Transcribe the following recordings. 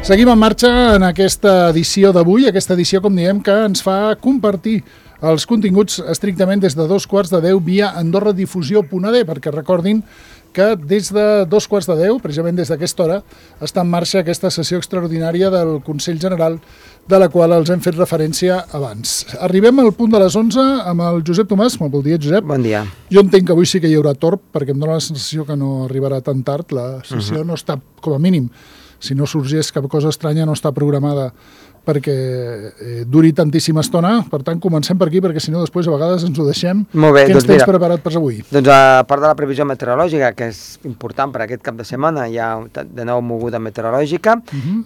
Seguim en marxa en aquesta edició d'avui, aquesta edició, com diem, que ens fa compartir els continguts estrictament des de 2:15 via AndorraDifusió.d, perquè recordin que des de 2:15, precisament des d'aquesta hora, està en marxa aquesta sessió extraordinària del Consell General, de la qual els hem fet referència abans. Arribem al punt de les 11 amb el Josep Tomàs. Molt bon dia, Josep. Bon dia. Jo entenc que avui sí que hi haurà torb, perquè em dóna la sensació que no arribarà tan tard. La sessió no està, com a mínim, si no sorgeix cap cosa estranya, no està programada perquè duri tantíssima estona. Per tant, comencem per aquí, perquè si no després a vegades ens ho deixem. Molt bé, Què ens tens preparat per avui? Doncs a part de la previsió meteorològica, que és important per aquest cap de setmana, hi ha de nou moguda meteorològica.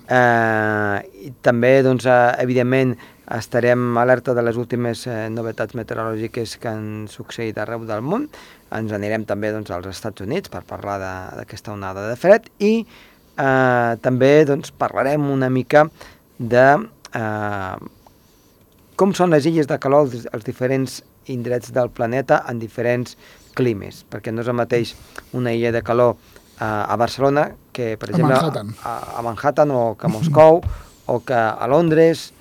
I també, doncs, evidentment, estarem alerta de les últimes novetats meteorològiques que han succeït arreu del món. Ens anirem també, doncs, als Estats Units per parlar d'aquesta onada de fred i també, doncs, parlarem una mica de com són les illes de calor als diferents indrets del planeta en diferents climes, perquè no és el mateix una illa de calor a Barcelona que, per exemple, a Manhattan o que a Moscou o que a Londres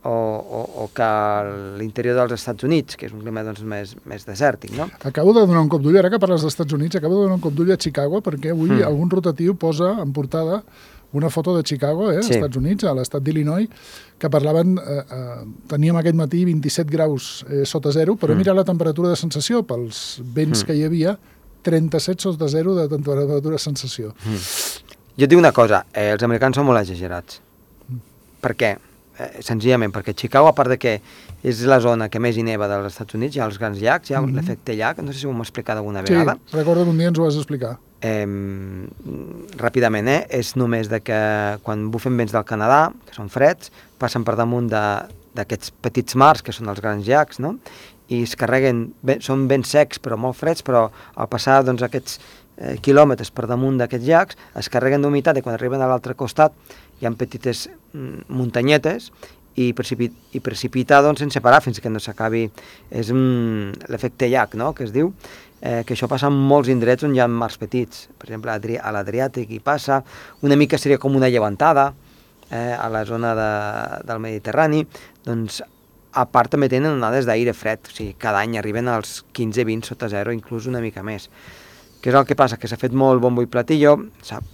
o que a l'interior dels Estats Units, que és un clima, doncs, més desèrtic, no? Acabo de donar un cop d'ull, ara que parles dels Estats Units, acabo de donar un cop d'ull a Chicago, perquè avui algun rotatiu posa en portada una foto de Chicago, als Estats Units, a l'estat d'Illinois, que parlaven, teníem aquest matí 27 graus sota zero, però mira la temperatura de sensació, pels vents que hi havia, 37 sota zero de temperatura de sensació. Jo et dic una cosa, els americans són molt exagerats. Per què? Senzillament perquè Chicago, a part de que és la zona que més hi neva dels Estats Units, hi ha els grans llacs, hi ha l'efecte llac, no sé si ho hem explicat alguna vegada. Sí, recordo que un dia ens ho vas explicar. Ràpidament, és només de que quan bufen vents del Canadà, que són freds, passen per damunt d'aquests petits mars, que són els grans llacs, no? I es carreguen, són vents secs però molt freds, però al passar, doncs, aquests quilòmetres per damunt d'aquests llacs, es carreguen d'humitat i quan arriben a l'altre costat hi ha petites muntanyetes i precipitar, doncs, sense parar fins que no s'acabi. És l'efecte llac, no?, que es diu, que això passa en molts indrets on hi ha mars petits. Per exemple, a l'Adriàtic hi passa, una mica seria com una llevantada a la zona del Mediterrani. Doncs, a part també tenen onades d'aire fred, o sigui, cada any arriben als 15-20 sota zero, inclús una mica més. Què és el que passa? Que s'ha fet molt bombo i platillo, sap?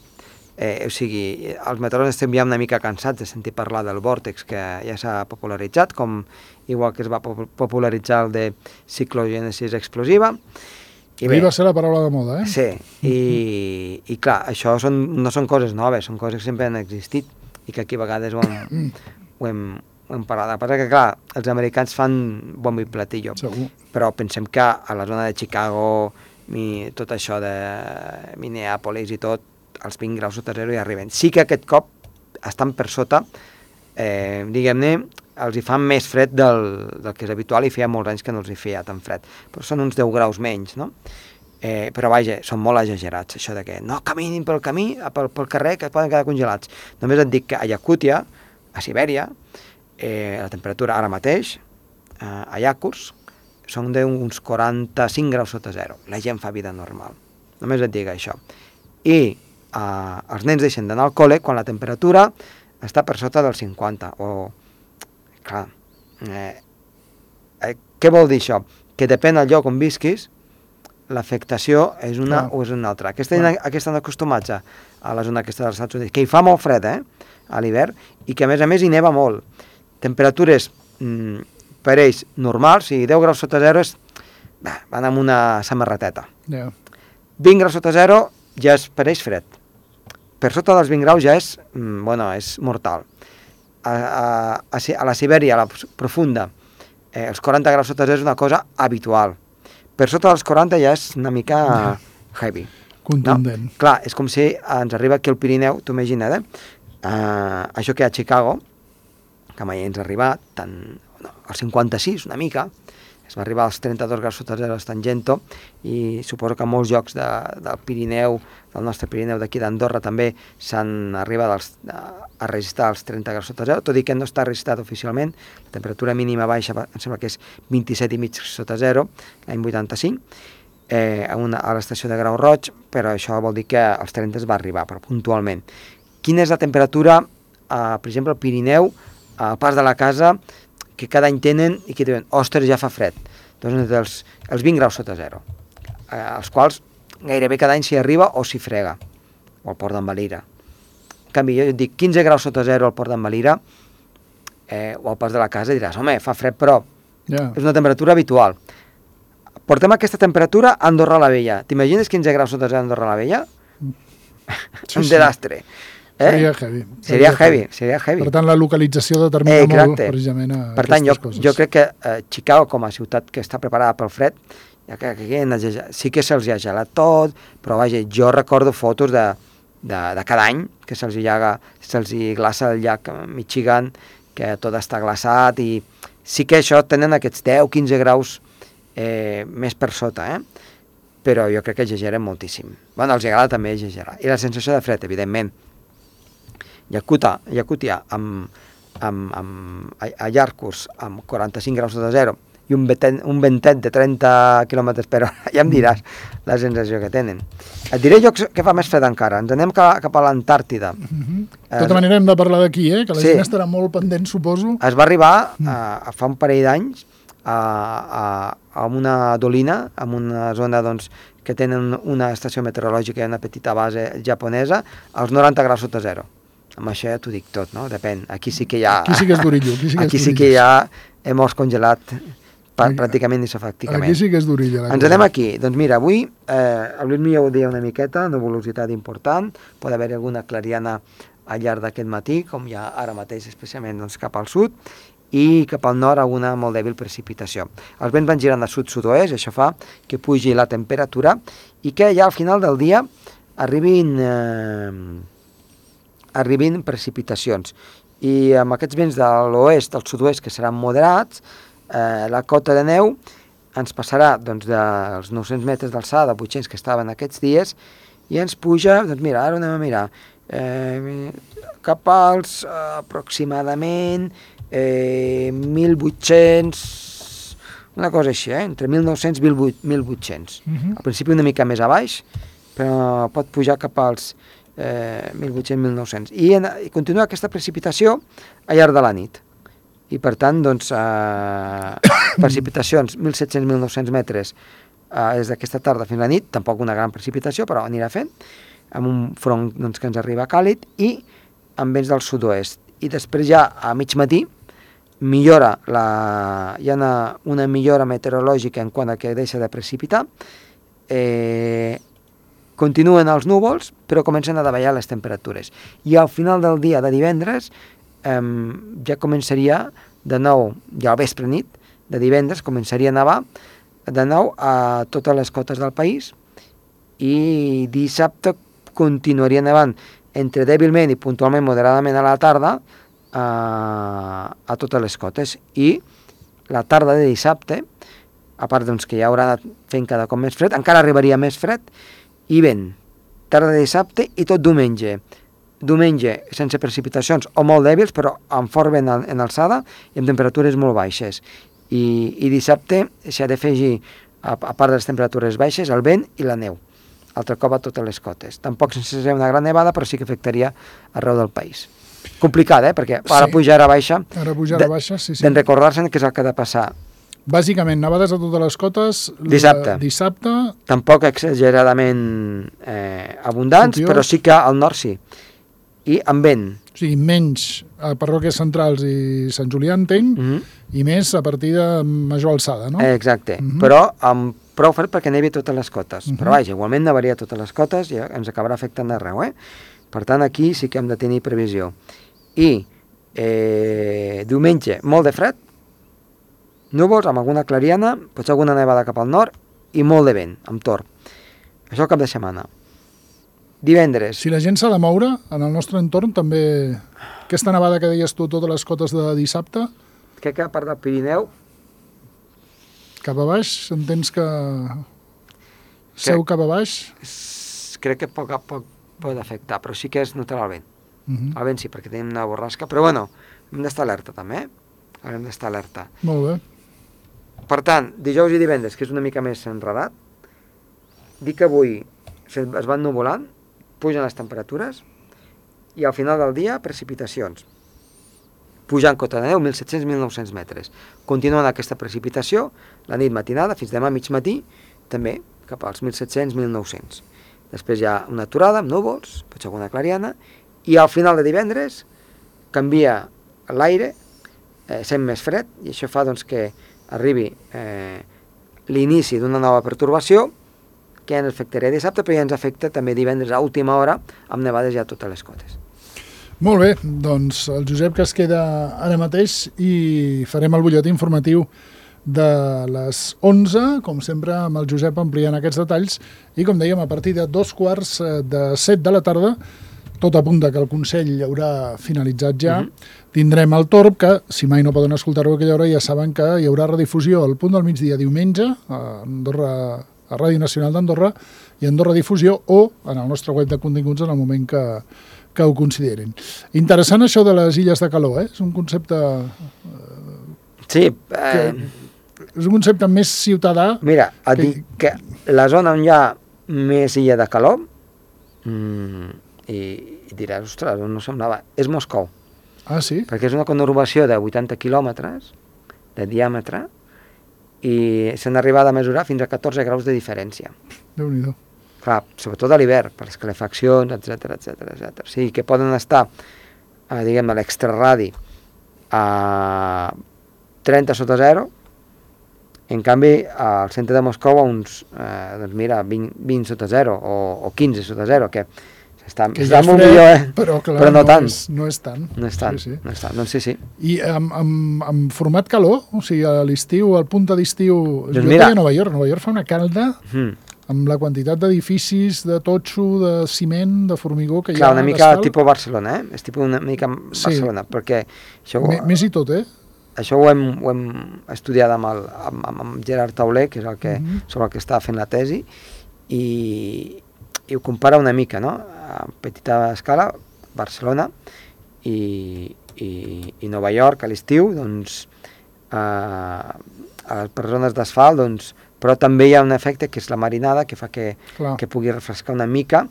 O sigui, els meteoròlegs estem ja una mica cansats de sentir parlar del vòrtex, que ja s'ha popularitzat, com igual que es va popularitzar el de ciclogènesis explosiva. Ahir va ser la paraula de moda, eh? Sí, i clar, això no són coses noves, són coses que sempre han existit i que aquí a vegades ho hem parlat. Passa que, clar, els americans fan bombo i platillo, però pensem que a la zona de Chicago, tot això de Minneapolis i tot, els 20 graus sota zero hi arriben. Sí que aquest cop estan per sota, diguem-ne, els hi fa més fred del que és habitual i feia molts anys que no els hi feia tan fred. Però són uns 10 graus menys, no? Però vaja, són molt exagerats, això de que no caminin pel camí, pel carrer, que poden quedar congelats. Només et dic que a Yakútia, a Sibèria, la temperatura ara mateix, a Yakutsk, són d'uns 45 graus sota zero. La gent fa vida normal. Només et dic això. I els nens deixen d'anar al col·le quan la temperatura està per sota dels 50. Clar, què vol dir això? Que depèn del lloc on visquis, l'afectació és una o és una altra. Aquests estan acostumats a la zona aquesta dels Estats Units, que hi fa molt fred, a l'hivern, i que a més hi neva molt. Temperatures per ells normals, si 10 graus sota zero van amb una samarreteta. 20 graus sota zero ja és per ells fred. Per sota dels 20 graus ja és mortal. A la Sibèria, a la profunda, els 40 graus sota zero és una cosa habitual. Per sota dels 40 ja és una mica heavy. Contundent. Clar, és com si ens arriba aquí al Pirineu, t'ho imagina't, això que hi ha a Chicago, que mai ens ha arribat, al 56 una mica, es va arribar als 32 graus sota zero a Tangento, i suposo que a molts llocs del Pirineu, del nostre Pirineu d'aquí d'Andorra, també s'han arribat a registrar els 30 graus sota zero, tot i que no està registrat oficialment. La temperatura mínima baixa em sembla que és 27,5 sota zero, l'any 85, a l'estació de Grau Roig, però això vol dir que als 30 es va arribar, però puntualment. Quina és la temperatura per exemple, al Pirineu, al Pas de la Casa, que cada any tenen i que diuen, ostres, ja fa fred. Doncs els 20 graus sota zero, als quals gairebé cada any s'hi arriba o s'hi frega, o al Port d'en Valira. En canvi, jo et dic 15 graus sota zero al Port d'en Valira, o al Pas de la Casa, diràs, home, fa fred, però és una temperatura habitual. Portem aquesta temperatura a Andorra la Vella. T'imagines 15 graus sota zero a Andorra la Vella? Un desastre. Seria heavy. Per tant, la localització determina molt precisament per tant, jo crec que Chicago, com a ciutat que està preparada pel fred, sí que se'ls ha gelat tot, però vaja, jo recordo fotos de cada any que se'ls glaça el llac Michigan, que tot està glaçat, i sí que això tenen aquests 10-15 graus més per sota, però jo crec que exageren moltíssim. Bueno, els agrada també exagerar. I la sensació de fred, evidentment. Yakutia, a Yarkus, amb 45 graus sota zero, i un ventet de 30 km per hora, ja em diràs la sensació que tenen. Et diré jo que fa més fred encara. Ens anem cap a l'Antàrtida. De tota manera hem de parlar d'aquí, que la gent estarà molt pendent, suposo. Es va arribar fa un parell d'anys a una dolina, en una zona que tenen una estació meteorològica i una petita base japonesa, als 90 graus sota zero. Amb això ja t'ho dic tot, no? Depèn. Aquí sí que ja... Aquí sí que és durillo. Aquí sí que ja hem congelat pràcticament isofàcticament. Aquí sí que és durilla. Ens anem aquí. Doncs mira, avui, el Lluís ja ho deia una miqueta, nuvolositat important, pot haver alguna clariana al llarg d'aquest matí, com ja ara mateix, especialment cap al sud, i cap al nord alguna molt dèbil precipitació. Els vents van girant de sud-sud-oest, això fa que pugi la temperatura i que ja al final del dia arribin precipitacions. I amb aquests vents de l'oest al sud-oest, que seran moderats, la cota de neu ens passarà dels 900 metres d'alçada, 800 que estaven aquests dies, i ens puja, doncs mira, ara anem a mirar, cap als aproximadament 1.800, una cosa així, entre 1.900 i 1.800. Al principi una mica més a baix, però pot pujar cap als 1.800-1.900. I continua aquesta precipitació al llarg de la nit. I per tant, precipitacions 1.700-1.900 metres des d'aquesta tarda fins a la nit, tampoc una gran precipitació, però anirà fent, amb un front que ens arriba càlid i amb vents del sud-oest. I després ja a mig matí hi ha una millora meteorològica en quant a que deixa de precipitar, continuen els núvols, però comencen a davallar les temperatures. I al final del dia de divendres ja començaria de nou, ja al vespre nit de divendres, començaria a nevar de nou a totes les cotes del país, i dissabte continuaria nevant entre dèbilment i puntualment moderadament a la tarda a totes les cotes. I la tarda de dissabte, a part que ja haurà anat fent cada cop més fred, encara arribaria més fred i vent. Tarda de dissabte i tot diumenge. Diumenge sense precipitacions o molt dèbils, però amb fort vent en alçada i amb temperatures molt baixes. I dissabte s'ha d'afegir, a part de les temperatures baixes, el vent i la neu, altre cop a totes les cotes. Tampoc sense ser una gran nevada, però sí que afectaria arreu del país. Complicat, perquè ara puja, ara baixa. Ara puja, ara baixa, sí. D'en recordar-se'n què és el que ha de passar. Bàsicament, nevades a totes les cotes dissabte. Tampoc exageradament abundants, però sí que al nord sí. I amb vent. O sigui, menys a parròquies centrals i Sant Julià, entenc, i més a partir de major alçada, no? Exacte, però amb prou fred perquè nevi a totes les cotes. Però vaja, igualment nevaria a totes les cotes i ens acabarà afectant arreu, Per tant, aquí sí que hem de tenir previsió. I diumenge, molt de fred, núvols amb alguna clariana, potser alguna nevada cap al nord i molt de vent, amb torb. Això el cap de setmana. Divendres. Si la gent s'ha de moure, en el nostre entorn també, aquesta nevada que deies tu, totes les cotes de dissabte... Crec que a part del Pirineu... Cap a baix, entens que... Seu cap a baix? Crec que poc a poc pot afectar, però sí que es notarà el vent. El vent sí, perquè tenim una borrasca, però bueno, hem d'estar alerta també, Hem d'estar alerta. Molt bé. Per tant, dijous i divendres, que és una mica més enredat, dic que avui es van nuvolant, pugen les temperatures, i al final del dia precipitacions. Pujant cota de neu 1.700-1.900 metres. Continuant aquesta precipitació, la nit matinada, fins demà mig matí, també cap als 1.700-1.900. Després hi ha una aturada amb núvols, potser alguna clariana, i al final de divendres canvia l'aire, sent més fred, i això fa doncs, que arribi l'inici d'una nova pertorbació, que ens afectarà dissabte, però ja ens afecta també divendres a última hora, amb nevades ja a totes les cotes. Molt bé, doncs el Josep que es queda ara mateix i farem el butlletí informatiu de les 11, com sempre amb el Josep ampliant aquests detalls, i com dèiem, a partir de 2:45 de la tarda, tot apunta que el Consell haurà finalitzat ja, tindrem el Torb, que si mai no poden escoltar-ho a aquella hora ja saben que hi haurà redifusió al punt del migdia diumenge a Andorra, a Ràdio Nacional d'Andorra i Andorra Difusió, o en el nostre web de continguts en el moment que ho considerin. Interessant això de les illes de calor, és un concepte... Sí, és un concepte més ciutadà... Mira, et dic que la zona on hi ha més illa de calor, i diràs, ostres, no semblava, és Moscou. Ah, sí? Perquè és una conurbació de 80 quilòmetres de diàmetre i s'han arribat a mesurar fins a 14 graus de diferència. Déu-n'hi-do. Clar, sobretot a l'hivern, per les calefaccions, etc etc. O sigui, que poden estar, diguem, a l'extraradi a 30 sota zero, en canvi, al centre de Moscou a uns, doncs mira, 20 sota zero o 15 sota zero, que està molt millor, però, clar, però no tant. No és tant. No és tant, sí. no és tant, doncs sí. I amb format calor, o sigui, a l'estiu, al punta d'estiu, doncs jo mira, a Nova York fa una calda amb la quantitat d'edificis, de totxo, de ciment, de formigó que hi ha. Clar, una mica tipus Barcelona, és tipus una mica Barcelona, perquè això... Més i tot, Això ho hem estudiat amb Gerard Tauler, que és el que, sobre el que està fent la tesi, i ho compara una mica, no? A petita escala, Barcelona i Nova York a l'estiu, doncs, per zones d'asfalt, doncs, però també hi ha un efecte que és la marinada, que fa que pugui refrescar una mica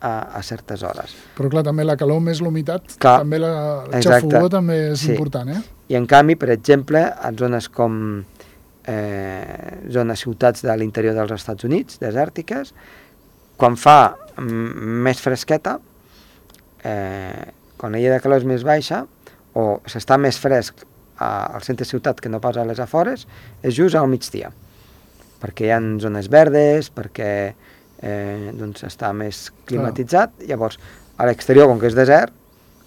a certes hores. Però clar, també la calor més l'humitat, també el xafogó també és important, I en canvi, per exemple, en zones com zones ciutats de l'interior dels Estats Units, desèrtiques, quan fa més fresqueta, quan l'illa de calor és més baixa, o s'està més fresc al centre ciutat que no pas a les afores, és just al migdia, perquè hi ha zones verdes, perquè doncs està més climatitzat. Llavors, a l'exterior, com que és desert,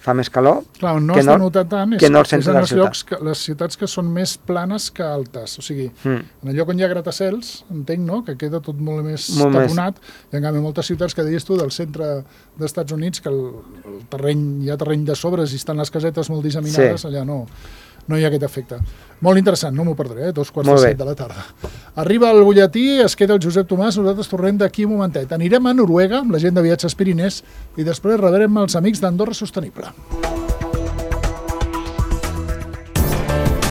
fa més calor, clar, no es denota tant, és en els llocs, les ciutats que són més planes que altes, o sigui, en el lloc on hi ha gratacels, entenc, no?, que queda tot molt més taponat, i en canvi moltes ciutats que deies tu del centre dels Estats Units, que el terreny, hi ha terreny de sobres i estan les casetes molt disseminades, allà no hi ha aquest efecte. Molt interessant, no m'ho perdré, 2:45 de la tarda. Arriba el butlletí, es queda el Josep Tomàs, nosaltres tornem d'aquí un momentet. Anirem a Noruega amb la gent de Viatges Pirinès i després rebrem els amics d'Andorra Sostenible.